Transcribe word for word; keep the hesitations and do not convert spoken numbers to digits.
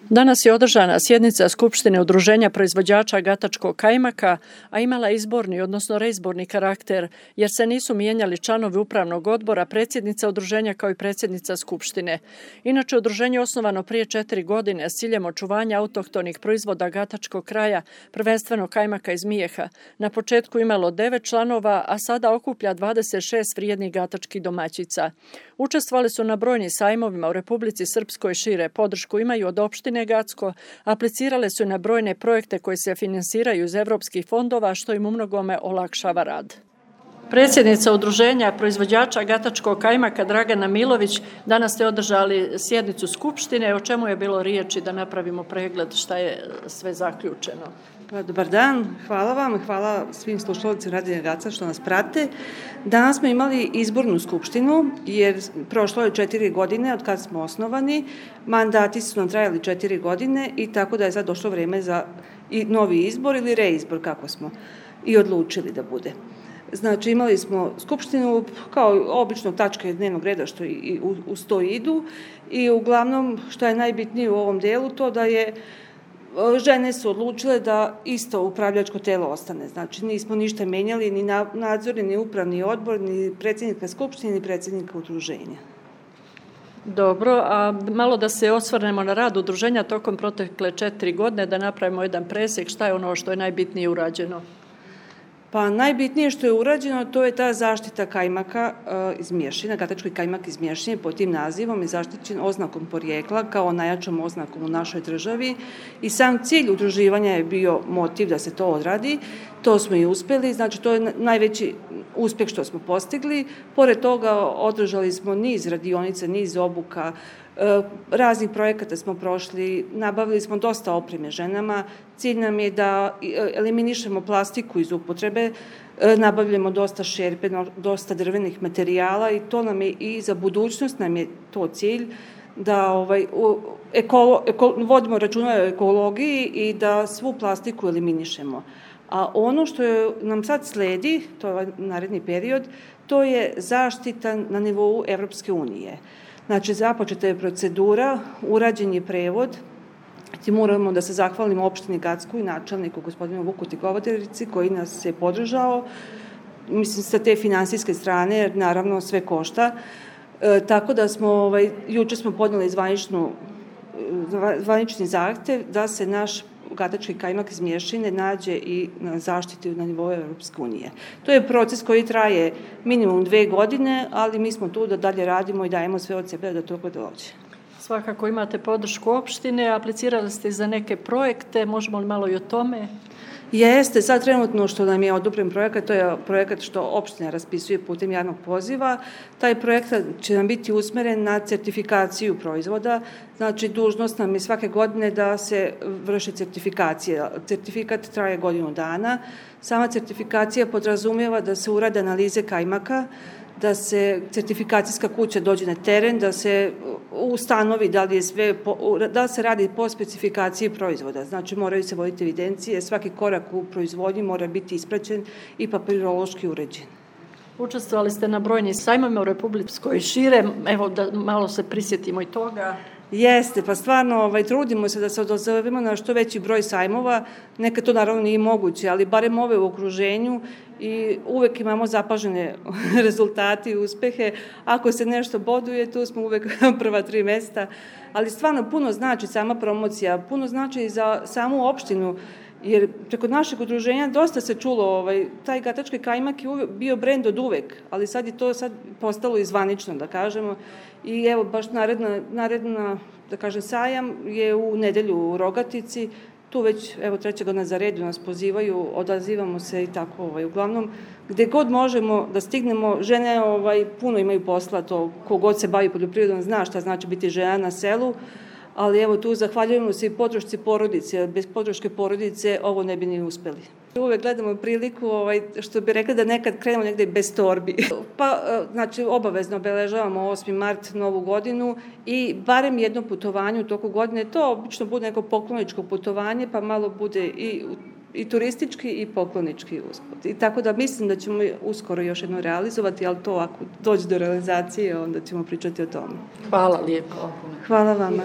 Danas je održana sjednica Skupštine Udruženja proizvođača gatačkog kajmaka, a imala izborni, odnosno reizborni karakter, jer se nisu mijenjali članovi upravnog odbora, predsjednica udruženja kao i predsjednica Skupštine. Inače, udruženje je osnovano prije četiri godine s ciljem očuvanja autohtonih proizvoda gatačkog kraja, prvenstveno kajmaka iz Mijeha. Na početku imalo devet članova, a sada okuplja dvadeset šest vrijednih gatačkih domaćica. Učestvovali su na brojnim sajmovima u Republici Srpskoj i šire. Podršku imaju od opštine Gacko, aplicirale su na brojne projekte koji se finansiraju iz evropskih fondova, što im umnogome olakšava rad. Predsjednica Udruženja proizvođača gatačkog kajmaka Dragana Milović, danas ste održali sjednicu Skupštine. O čemu je bilo riječi, da napravimo pregled šta je sve zaključeno? Dobar dan, hvala vam, hvala svim slušalicima Radio Gaca što nas prate. Danas smo imali izbornu skupštinu jer prošlo je četiri godine od kad smo osnovani, mandati su nam trajali četiri godine i tako da je sad došlo vreme za i novi izbor ili reizbor, kako smo i odlučili da bude. Znači, imali smo skupštinu kao obično tačke dnevnog reda što i uz to idu i uglavnom što je najbitnije u ovom delu to da je žene su odlučile da isto upravljačko telo ostane. Znači, nismo ništa menjali, ni nadzorni, ni upravni odbor, ni predsjednika skupštine, ni predsjednika udruženja. Dobro, a malo da se osvrnemo na rad udruženja tokom protekle četiri godine, da napravimo jedan presjek, šta je ono što je najbitnije urađeno? Pa najbitnije što je urađeno, to je ta zaštita kajmaka e, iz Mješina, gatački kajmak iz Mješine, pod tim nazivom je zaštićen oznakom porijekla kao najjačom oznakom u našoj državi i sam cilj udruživanja je bio motiv da se to odradi. To smo i uspjeli, znači to je najveći uspjeh što smo postigli. Pored toga održali smo niz radionica, niz obuka, raznih projekata smo prošli, nabavili smo dosta opreme ženama. Cilj nam je da eliminišemo plastiku iz upotrebe, nabavljamo dosta šerpe, dosta drvenih materijala i to nam je i za budućnost nam je to cilj da ovaj, ekolo, eko, vodimo računa o ekologiji i da svu plastiku eliminišemo. A ono što je, nam sad sledi, to je naredni period, to je zaštita na nivou Evropske unije. Znači, započeta je procedura, urađen je prevod, ti moramo da se zahvalimo opštini Gacku i načelniku gospodinu Vuku Tigovaterici koji nas je podržao, mislim sa te finansijske strane, jer naravno sve košta. E, tako da smo, ovaj, juče smo podnijeli zvaničnu, zvanični zahtev da se naš gatački kajmak iz Mješine nađe i na zaštiti na nivou Evropske unije. To je proces koji traje minimum dve godine, ali mi smo tu da dalje radimo i dajemo sve od sebe da to dođe. Svakako imate podršku opštine, aplicirali ste za neke projekte, možemo li malo i o tome? Jeste, sad trenutno što nam je odobren projekat, to je projekat što opština raspisuje putem javnog poziva. Taj projekat će nam biti usmeren na certifikaciju proizvoda, znači dužnost nam je svake godine da se vrši certifikacija. Certifikat traje godinu dana. Sama certifikacija podrazumijeva da se urade analize kajmaka, da se certifikacijska kuća dođe na teren, da se ustanovi da li je sve, da se radi po specifikaciji proizvoda. Znači, moraju se voditi evidencije, svaki korak u proizvodnji mora biti ispraćen i papirološki uređen. Učestvovali ste na brojnim sajmovima u Republičkoj šire, evo da malo se prisjetimo i toga. Jeste, pa stvarno ovaj, trudimo se da se odazovemo na što veći broj sajmova, nekad to naravno nije moguće, ali barem ove u okruženju i uvek imamo zapažene rezultate i uspehe. Ako se nešto boduje, tu smo uvek prva tri mesta, ali stvarno puno znači sama promocija, puno znači i za samu opštinu, jer preko našeg udruženja dosta se čulo, ovaj, taj gatački kajmak je uvek, bio brend od uvek, ali sad je to sad postalo i zvanično, da kažemo. I evo, baš naredna, naredna da kažem, sajam je u nedelju u Rogatici, tu već, evo, treća godina za redu nas pozivaju, odazivamo se i tako, ovaj, uglavnom, gde god možemo da stignemo, žene ovaj, puno imaju posla, to kogod se bavi poljoprivredom zna šta znači biti žena na selu, ali evo tu zahvaljujemo se i podršci porodice, bez podrške porodice ovo ne bi ni uspeli. Uvek gledamo priliku, ovaj, što bi rekli da nekad krenemo negde bez torbi. Pa, znači, obavezno obeležavamo osmi mart novu godinu i barem jedno putovanje u toku godine, to obično bude neko pokloničko putovanje, pa malo bude i, i turistički i poklonički usput. I tako da mislim da ćemo uskoro još jedno realizovati, ali to ako dođe do realizacije, onda ćemo pričati o tome. Hvala lijepo. Hvala vama.